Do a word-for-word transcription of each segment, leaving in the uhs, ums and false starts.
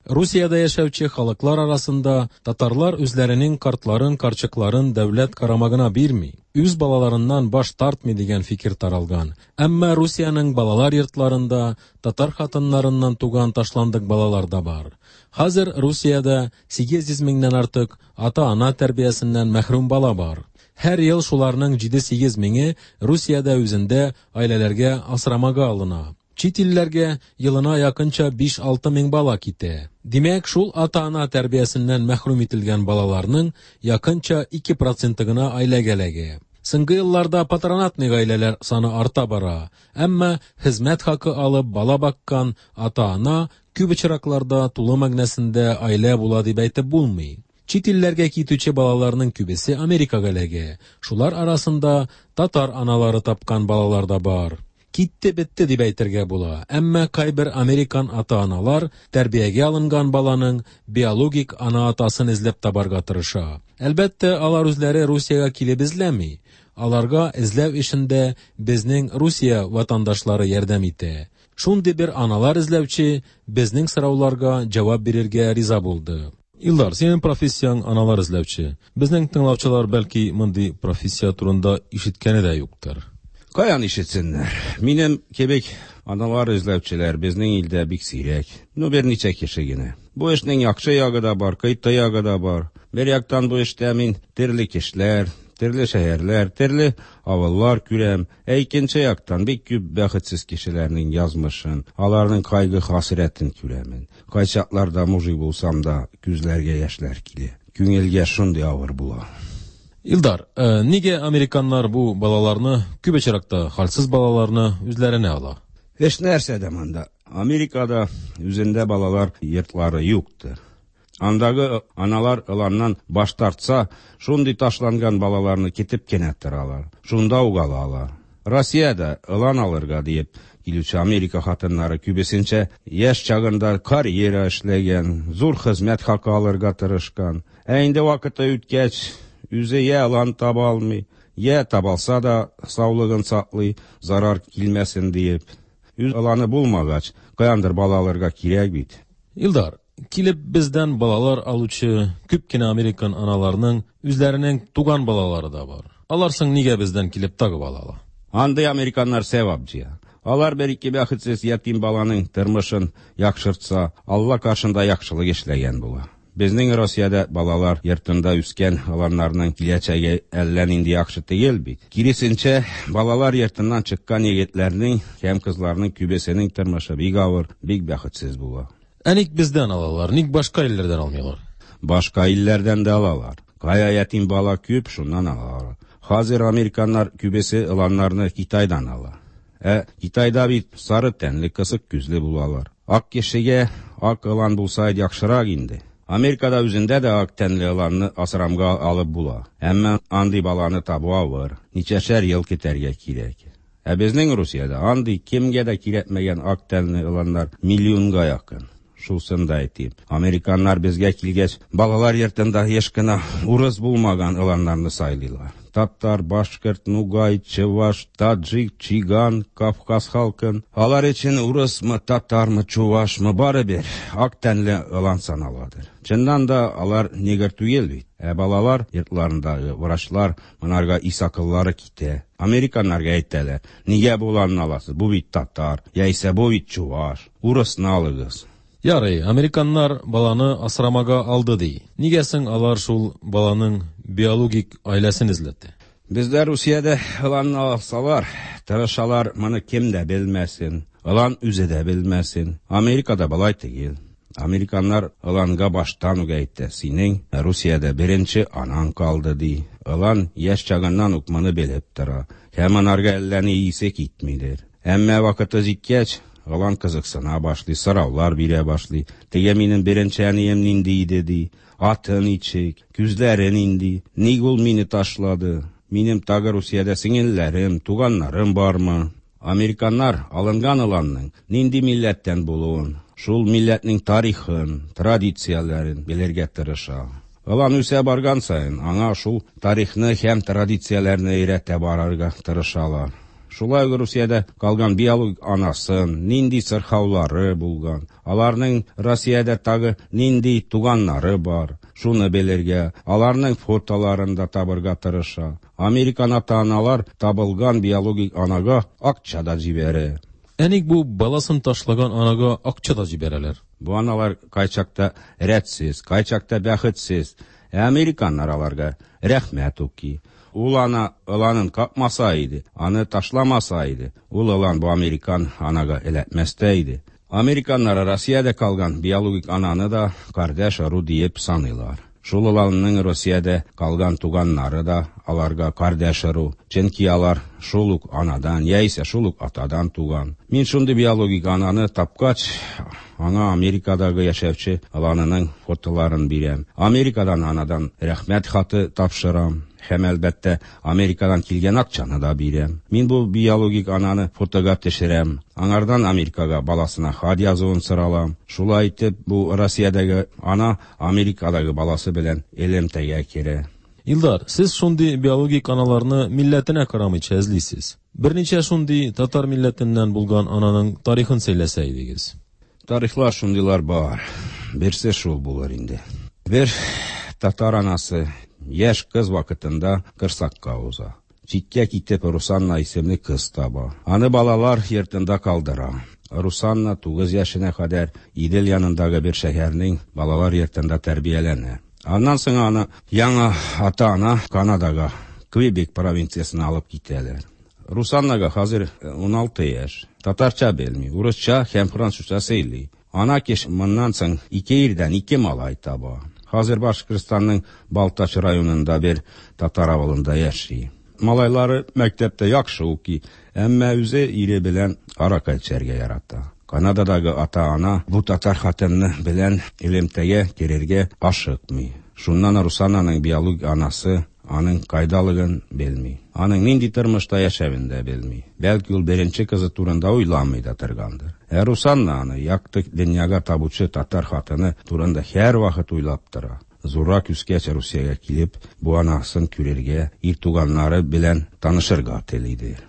Русиядә яшәүче халыклар арасында татарлар үзләренең картларын, карчыкларын дәүләт карамагына бирми, үз балаларыннан баш тартмый дигән фикер таралган. Әмма Русиянең балалар йортларында татар хатыннарыннан туган ташландык балалар да бар. Хәзер Русиядә сигез йөз меңнән артык ата-ана тәрбиясеннән мәхрүм бала бар. Һәр ел шуларның җиде-сигез меңе Русиядә үзендә гаиләләргә асрамага алына. Чит илләргә елына якынча биш-алты мең бала китә. Димәк, шул ата-ана тәрбиясеннән мәхрүм ителгән балаларның якынча ике проценты гына гаиләгә эләгә. Соңгы елларда патронатный гаиләләр саны арта бара. Әмма хезмәт хакы алып бала баккан ата-ана күп очракларда тулы мәгънәсендә гаилә була дип әйтеп булмый. Чит илләргә китүче балаларның күбесе Америкага эләгә. Шулар арасында татар аналары тапкан балалар да бар. Китте бетте дип әйтергә була. Әмма кайбер американ ата-аналар тәрбиягә алынган баланың биологик ана-атасын эзләп табарга тырыша. Әлбәттә, алар үзләре Русиягә килеп эзләми. Аларга эзләү эшендә безнең Русия ватандашлары ярдәм итә. Шундый бер аналар эзләүче безнең сорауларга җавап бирергә риза булды. Илдар, синең профессияң аналар эзләүче. Безнең тыңлаучылар бәлки мондый профессия турында ишеткәне дә юктыр. Каян ишетсеннәр? Минем кебек аналар эзләүчеләр безнең илдә бик сирәк. Ну, берничә кеше генә. Бу эшнең яхшы ягы да бар, кыйты ягы да бар. Бер яктан бу эштә мин төрле кешеләр, төрле шәһәрләр, төрле авыллар күрәм. Ә икенче яктан бик күп бәхетсез кешеләрнең язмышын, аларның кайгы хәсрәтен күрәмен. Кайчакларда мужик булсам да, күзләргә яшьләр килә. Күңелгә шундый авыр була. Илдар, э, нигә американнар бу балаларны, күп очракта хәлсез балаларны үзләренә ала? Эш нәрсәдә монда? Америкада үзендә балалар йортлары юктыр. Андагы аналар ыланнан баш тартса, шундый ташланган балаларны китеп кенә торалар. Шунда ук алалар. Россиядә ылан алырга диеп килүче Америка хатыннары күбесенчә яшь чагында карьера эшләгән, зур хезмәт хакы алырга тырышкан. Ә инде вакыты үткәч, үзе я ылан таба алмый, я табалса да саулыгын саклый, зарар килмәсен диеп. Үз ыланы булмагач, каяндыр бала алырга кирәк бит. Илдар, килеп бездән балалар алучы күп кенә американ аналарының үзләренең туган балалары да бар. Алар соң нигә бездән килеп тагы бала ала? Андый американнар сәвап җыя. Алар бер ике бәхетсез ятим баланың тормышын яхшыртса, Алла каршында яхшылык эшләгән була. Безнең Россиядә балалар йортында үскән аларның киләчәге әллә нинди яхшы түгел бит. Киресенчә, балалар йортыннан чыккан егетләрнең һәм кызларның күбесенең тормышы бик авыр, бик бәхетсез була. Ә ник бездән алалар, ник башка илләрдән алмыйлар? Башка илләрдән дә алалар. Кая ятим бала күп, шуннан алалар. Хәзер американнар күбесе ыланнарны Китайдан ала. Ә Китайда бит сары тәнле, кысык күзле булалар. Ак кешегә ак ылан булса яхшырак инде. Америкада үзендә дә ак тәнле ыланны асрамга алып була. Әмма андый баланы табу авыр, ничәшәр ел көтәргә кирәк. Ә безнең Русиядә андый кемгә дә кирәкмәгән ак тәнле ыланнар миллионга якын. Шусын да әйтим. Американнар безгә килгәч, балалар йортында еш кына урыс булмаган ыланнарны сайлыйлар. Татар, башкорт, нугай, чуваш, таджик, чиган, Кавказ халкын. Алар өчен урысмы, татармы, чувашмы барыбер ак тәнле ылан саналадыр. Чыннан да алар негр түгел бит. Ә балалар йортларындагы врачлар монарга ис акыллары китә. Американнарга әйтәләр, нигә бу ыланны аласыз? Бу бит татар, яисә бу бит чуваш. Урысны алыгыз. Ярый, американнар баланы асрамага алды ди. Нигә соң алар шул баланың биологик гаиләсен эзләтте? Бездә Русиядә ыланны алсалар, тырышалар, моны кем дә белмәсен, ылан үзе дә белмәсен. Америкада болай түгел. Американнар ыланга баштан ук әйтте, синең Русиядә беренче анаң калды ди. Ылан яшь чагыннан ук моны белеп тора. Һәм анарга әллә ни исе китмидер. Әмма вакыты җиткәч, ылан кызыксына башлый, сораулар бирә башлый. Теге минем беренче әнием нинди иде ди, аты ничек, күзләре нинди, ник ул мине ташлады, минем тагы Русиядә сеңелләрем, туганнарым бармы? Американнар алынган ыланның нинди милләттән булуын, шул милләтнең тарихын, традицияләрен белергә тырыша. Ылан үсә барган саен, аңа шул тарихны һәм традицияләрне өйрәтә барырга тырышалар. Шулай ук Русиядә калган биологик анасын, нинди сырхаулары булган, аларның Россиядә тагы нинди туганнары бар, шуны белергә, аларның фотоларын да табырга тырыша. Американ ата-аналар табылган биологик анага акча да җибәрә. Ә ник бу баласын ташлаган анага акча да җибәрәләр? Бу аналар кайчакта рәтсез, кайчакта бәхетсез. Ә американнар аларга рәхмәт укый. Ул ана ыланын капмаса иде, аны ташламаса иде, ул ылан бу американ анага эләкмәс тә иде. Американнар Россиядә калган биологик ананы да кардәш ыру диеп саныйлар. Шул ыланның Россиядә калган туганнары да аларга кардәш ыру, чөнки алар шул ук анадан яисә шул ук атадан туган. Мин шундый биологик ананы тапкач, аңа Америкадагы яшәүче ыланының фотоларын бирәм. Америкадан анадан рәхмәт хаты тапшырам. Һәм әлбәттә Америкадан килгән акчаны да бирәм. Мин бу биологик ананы фотога төшерәм. Аңардан Америкага баласына хат язуын соралам. Шулай итеп бу Россиядәге ана Америкадагы баласы белән элемтәгә керә. Илдар, сез шундый биологик аналарны милләтенә карамыйча эзлисез. Берничә шундый татар милләтеннән булган ананың тарихын сөйләсә идегез. Тарихлар шундыйлар бар. Берсе шул булыр инде. Бер татар анасы яшь кыз вакытында кырсакка уза. Читкә китеп Русанна исемле кыз таба. Аны балалар йортында калдыра. Русанна тугыз яшенә кадәр Идел янындагы бер шәһәрнең балалар йортында тәрбияләнә. Аннан соң аны яңа ата-ана Канадага, Квебек провинциясенә алып китәләр. Русаннага хәзер уналты яшь. Татарча белми, урысча һәм французча сөйли. Ана кеше моннан соң ике ирдән ике малай таба. Хәзер Башкортстанның Балтач районында бер татар авылында яши. Малайлары мәктәптә яхшы укый, әмма үзе ире белән аракы эчәргә ярата. Канададагы ата-ана бу татар хатыны белән элемтәгә керергә ашыкмый. Шуннан Русананың биологик анасы аның кайдалыгын белми. Аның нинди тормышта яшәвен дә белми. Бәлки ул беренче кызы турында уйламый да торгандыр. Ә Русанна аны якты дөньяга табучы татар хатыны турында һәрвакыт уйлап тора. Зуррак үскәч Русиягә килеп, бу анасын күрергә, ир туганнары белән танышырга телидер.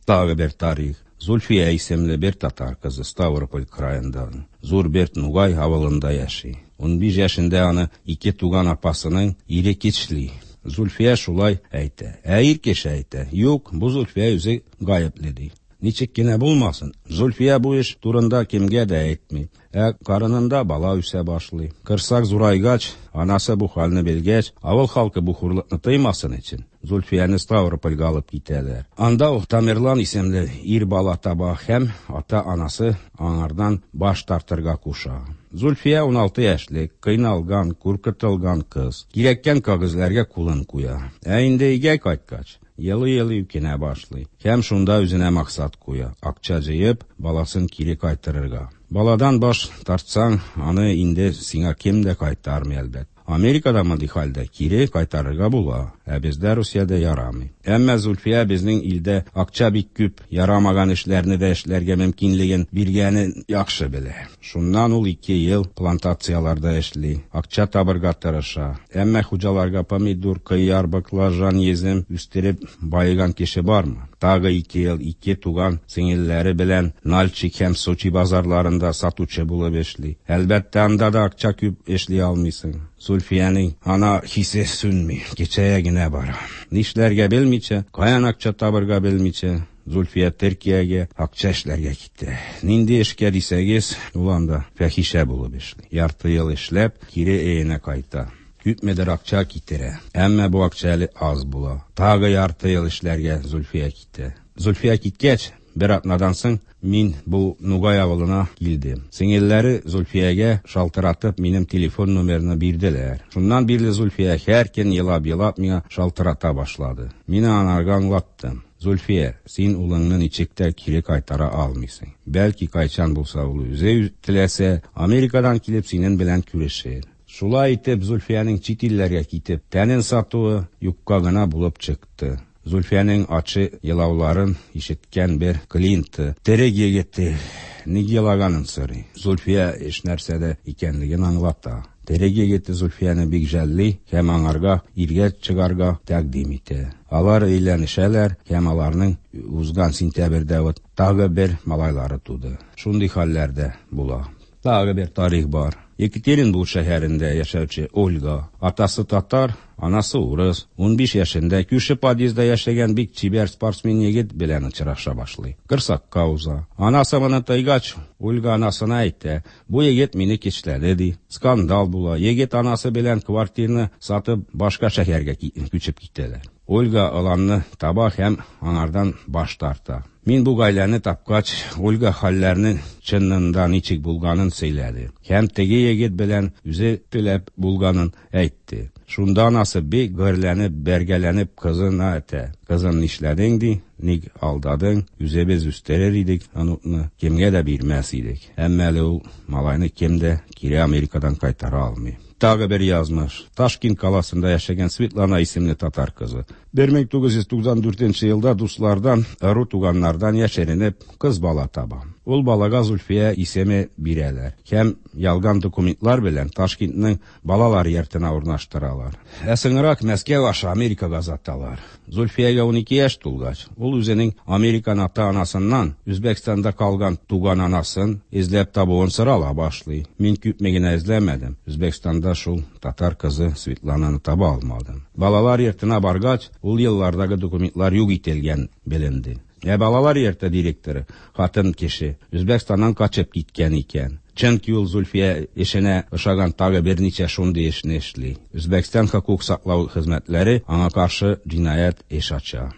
Тагы бер тарих. Зульфия исемле бер татар кызы Ставрополь краенда, Зур бер Нугай авылында яши. Унбиш яшендә аны ике туган апасының ире кичли. Зульфия шулай әйтә. Ә ир кеше әйтә: "Юк, бу Зульфия үзе гаепле", ди. Ничек кенә булмасын, Зульфия бу эш турында кемгә дә әйтми. Ә карынында бала үсә башлый. Кырсак зурайгач, анасы бу хәлне белгәч, авыл халкы бу хурлыкны тыймасын өчен Зульфияне Ставропольгә алып китәләр. Анда ул Тамерлан исемле ир бала таба һәм ата-анасы аңардан баш тартырга куша. Зульфия уналты яшьлек, кыйналган, куркытылган кыз. Кирәккән кәгазьләргә кулын куя. Ә инде өйгә кайткач, елый-елый үкенә башлый. Һәм шунда үзенә максат куя: акча җыеп, баласын кире кайтарырга. Баладан баш тартсаң, аны инде сиңа кем дә кайтармый әлбәттә. Америкада мондый хәлдә кире кайтарырга була, ә бездә Русиядә ярамый. Әмма Зульфия безнең илдә акча бик күп, ярамаган эшләрне дә эшләргә мөмкинлеген биргәнен яхшы белә. Шуннан ул ике ел плантацияларда эшли, акча табырга тырыша. Әмма хуҗаларга помидор, кыяр, баклажан, йөзем үстереп баеган кеше бармы? Тагы ике ел ике туган сеңелләре белән Нальчик һәм Сочи базарларында сатучы булып эшли. Әлбәттә, анда да акча күп эшли алмыйсың. Зульфиянең ана хисе сүнми, кечәя генә бара. Нишләргә белмичә, каян акча табырга белмичә, Зульфия Төркиягә акча эшләргә китә. Нинди эшкә дисәгез, ул анда фәхишә булып эшли. Ярты ел эшләп, кире өенә кайта. Күпмедер акча китерә. Әмма бу акча әле аз була. Тагы ярты ел эшләргә Зульфия китә. Зульфия киткәч, бер атнадан соң мин бу Нугай авылына килдем. Сеңелләре Зульфиягә шалтыратып минем телефон номерны бирделәр. Шуннан бирле Зульфия һәр көн елап-елап миңа шалтырата башлады. Мин анарга аңлаттым. Зульфия, син улыңны ничек тә кире кайтара алмыйсың. Бәлки кайчан булса ул үзе теләсә, Америкадан килеп синең белән күрешер. Шулай итеп Зульфиянең чит илләргә китеп тәнен сатуы юкка гына булып чыкты. Зульфиянең ачы елауларын ишеткән бер клиенты, терек егете, ник елаганын сорый. Зульфия эш нәрсәдә икәнлеген аңлата. Төрек егете Зульфияне бик жәлли һәм аңарга иргә чыгарга тәкъдим итә. Алар өйләнешәләр һәм аларның узган сентябрьдә вот тагы бер малайлары туды. Шундый хәлләр дә була. Тагы бер тарих бар. Екатеринбург шәһәрендә яшәүче Ольга, атасы татар, анасы урыс, унбиш яшендә күрше подъездда яшәгән бик чибәр спортсмен егет белән очраша башлый. Корсакка уза. Анасы моны тойгач, Ольга анасына әйтә: "Бу егет мине кичләде", ди. Скандал була. Егет анасы белән квартираны сатып башка шәһәргә күчеп китәләр. Ольга аланны таба һәм аңардан баш тарта. Мин бу гаиләне тапкач, Ольга хәлләрнең чынында ничек булганын сөйләде. Һәм теге егет белән үзе теләп булганын әйтте. Шунда анасы бик гөрләнеп, бәргәләнеп кызына әйтә: "Кызым, нишләдең?" ди. "Ник алдадың? Үзебез үстерер идек оныкны, кемгә дә бирмәс идек." Әмма әле ул малайны кем дә кире Америкадан кайтара алмый. Тагы бер язмыш. Ташкент каласында яшәгән Светлана исемле татар кызы. бер мең тугыз йөз туксан дүртенче елда дуслардан, ыру туганнардан яшеренеп кыз бала таба. Ул балага Зульфия исеме бирәләр. Һәм ялган документлар белән Ташкентның балалар йортына урнаштыралар. Ә соңрак Мәскәү аша Америкага озаталар. Зульфиягә унике яшь тулгач, ул үзенең Американ ата-анасыннан Үзбәкстанда калган туган анасын эзләп табуын сорала башлый. Мин күпме генә эзләмәдем. Үзбәкстанда шул татар кызы Светлананы таба алмадым. Балалар йортына баргач, ул еллардагы документлар юк ителгән беленде. Ә балалар йорты директоры, хатын кеше, Үзбәкстаннан качып киткән икән. Чөнки ул Зульфия эшенә ошаган тагы берничә шундый эшне эшли. Үзбәкстан хокук саклау хезмәтләре аңа каршы җинаять эш ача.